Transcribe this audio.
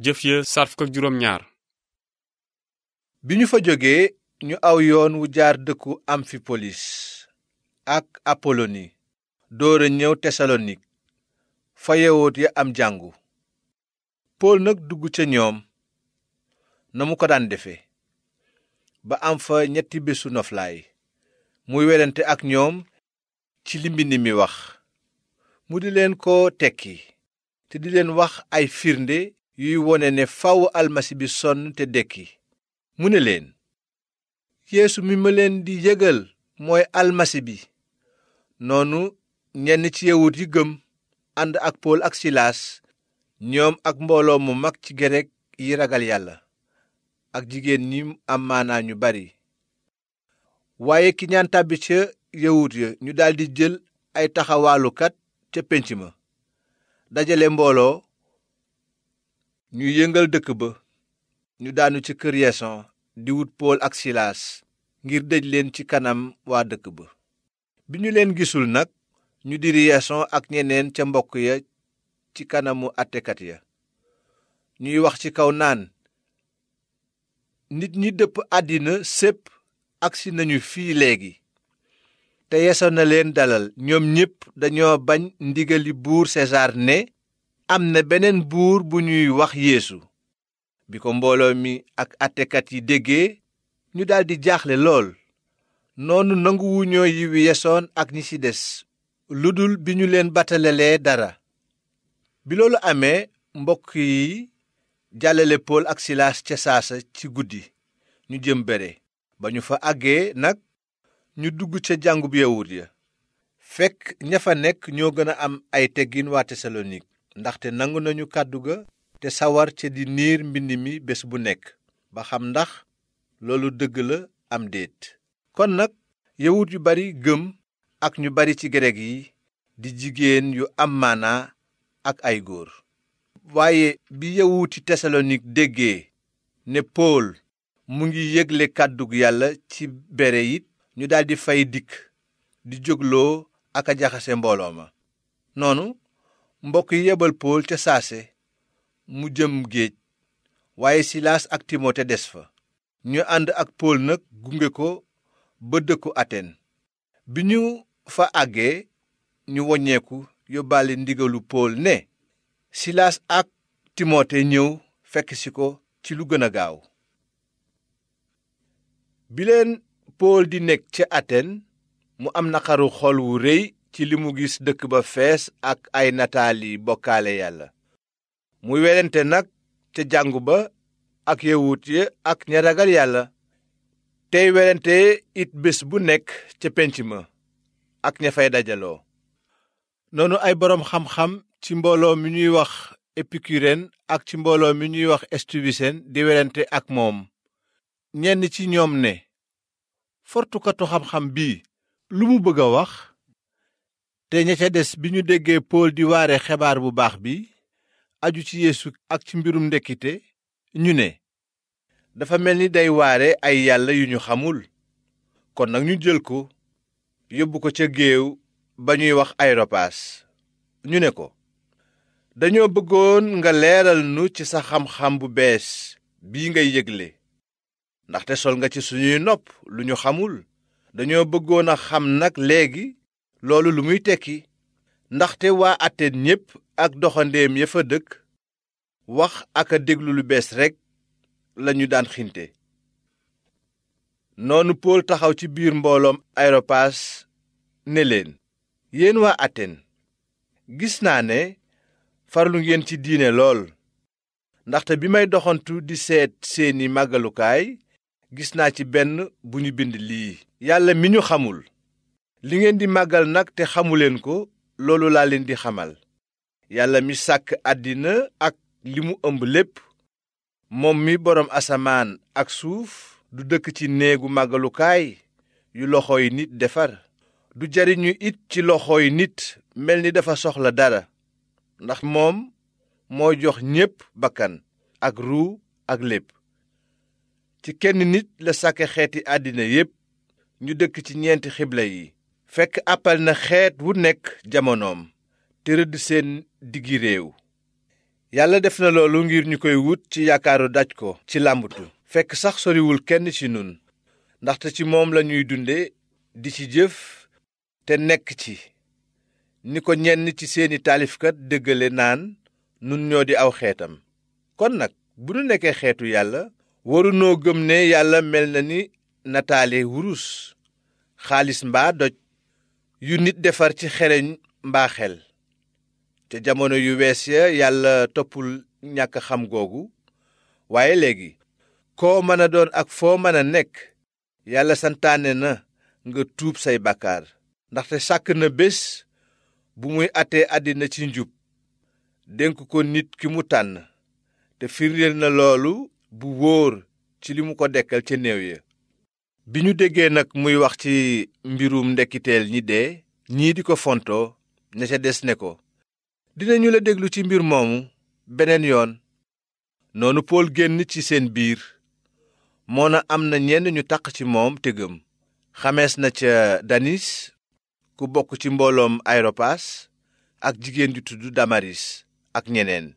jëf ya saar fukk ak juróom ñaar. bi ñu fa jógee ñu aw yoon wu jaar dëkku amfipolis ak apoloni doora ñëw tesalonik fa yawut ya am jàngu. pool nag dugg ca ñoom na mu ko daan defe ba am fa 3 bésu noflaay muy werante ak ñoom ci li mbind mi wax, mu di leen ko tekki te di leen wax ay firnde yuy wone ne faw almasi bi sonn te dekki. mu ne leen, yeesu mi ma leen di yëgal mooy almasi bi. noonu ñenn ci yawut yi gëm ànd ak pool ak silaas, ñoom ak mbooloo mu mag ci gereg yi ragal yàlla ak jigéen ñi am maanaa ñu bari. waaye ki ñaan tàbbi ca yawut ya ñu daldi jël ay taxawaalukat ca pénc ma dajale mbooloo, ñu yëngal dëkk ba. ñu daanu ci kër yason di wut pool ak silaas ngir dëj leen ci kanam waa dëkk ba. bi ñu leen gisul nag, ñu diri yason ak ñeneen ca mbokk ya ci kanamu àttekat ya. ñuy wax ci kaw naan, nit ñi dëpp àddina sépp agsi nañu fii léegi. te yason na leen dalal. ñoom ñépp dañoo bañ ndigali buur sesaar ne am na beneen buur bu ñuy wax yeesu. bi ko mbooloo mi ak àttekat yi déggee, ñu daldi jaaxle lool. noonu nanguwuñoo yiwi yason ak ñi ci des, lu dul bi ñu leen batalelee dara. bi loolu amee, mbokk yi jàllale pool ak silaas ca saasa ci guddi ñu jëm bere. ba ñu fa àggee nag, ñu dugg ca jàngub yawut ya. fekk ña fa nekk ñoo gën a am ay teggin waa tesalonik, ndaxte nangu nañu kàddu ga te sawar ca di niir mbind mi bés bu nekk ba xam ndax loolu dëgg la am déet. kon nag yawut yu bari gëm ak ñu bari ci grek yi, di jigéen yu am maanaa ak ay góor. waaye bi yawuti tesalonik déggee ne pool mu ngi yégle kàddug yàlla ci bere it, ñu daldi fay dikk di jógloo ak a jaxase mbooloo ma. noonu mbokk yi yebal pool ca saase mu jëm géej, waaye silaas ak timote des fa. ñu ànd ak pool nag gunge ko ba dëkku aten. bi ñu fa àggee, ñu woññeeku yóbbaale ndigalu pool ne silaas ak timote ñëw fekk si ko ci lu gën a gaaw. bi leen pool di nekk ca aten, mu am naqaru xol wu rëy ci li mu gis dëkk ba fees ak ay nataali bokkaale yàlla. muy werante nag ca jàngu ba ak yawut ya ak ña ragal yàlla, tey werante it bés bu nekk ca pénc ma ak ña fay dajaloo. noonu ay boroom xam-xam ci mbooloo mi ñuy wax epikuren ak ci mbooloo mi ñuy wax estuwisen di werante ak moom. ñenn ci ñoom ne, fortukatu xam-xam bii lu mu bëgg a wax? te ña ca des bi ñu déggee pool di waare xebaar bu baax bi aju ci yeesu ak ci mbirum ndekkite, ñu ne, dafa mel ni day waare ay yàlla yu ñu xamul. kon nag ñu jël ko yóbbu ko ca géew ba ñuy wax areopaas. ñu ne ko, dañoo bëggoon nga leeral nu ci sa xam-xam bu bees bii ngay yégle, ndaxte sol nga ci suñuy nopp lu ñu xamul. dañoo bëggoon a xam nag léegi loolu lu muy tekki. ndaxte waa Aten ñépp ak doxandeem ya fa dëkk wax ak a déglu lu bees rekk lañu daan xinte. noonu pool taxaw ci biir mbooloom areopaas ne leen, yéen waa Aten, gis naa ne farlu ngeen ci diine lool. ndaxte bi may doxantu di seet seeni màggalukaay, gis naa ci benn bu ñu bind lii: yàlla mi ñu xamul. li ngeen di màggal nag te xamuleen ko, loolu laa leen di xamal. yàlla mi sàkk àddina ak li mu ëmb lépp, moom mi boroom asamaan ak suuf, du dëkk ci néegu màggalukaay yu loxooy nit defar. du jariñu it ci loxooy nit mel ni dafa soxla dara, ndax moom moo jox ñépp bakkan ak ruu ak lépp. ci kenn nit la sàkke xeeti àddina yépp, ñu dëkk ci 4 xibla yi. fekk àppal na xeet wu nekk jamonoom te rëdd seen diggi réew. yàlla def na loolu ngir ñu koy wut ci yaakaaru daj ko ci làmbatu fekk sax soriwul kenn ci nun ndaxte ci moom lañuy dunde di ci jëf te nekk ci ni ko ñenn ci seeni taalifkat dëggale naan nun ñoo di aw xeetam. kon nag bu nu nekkee xeetu yàlla warunoo gëm ne yàlla mel na ni nataale wurus xaalis mbaa doj yu nit defar ci xereñ mbaa xel. te jamono yu wees ya yàlla toppul ñàkk xam googu waaye léegi koo mën a doon ak foo mën a nekk yàlla santaane na nga tuub say bàkkaar ndaxte sàkk na bés bu muy àttee àddina ci njub dénk ko nit ki mu tànn te firndeel na loolu bu wóor ci li mu ko dekkal ca néew ya. bi ñu déggee nag muy wax ci mbirum ndekkiteel ñi dee ñii di ko fontoo ña ca des ne ko dinañu la déglu ci mbir moomu beneen yoon. noonu Pool génn ci seen biir moona am na ñenn ñu taq ci moom te gëm. xamees na ca Danis ku bokk ci mbooloom Areopaas ak jigéen ju tudd Damaris ak ñeneen.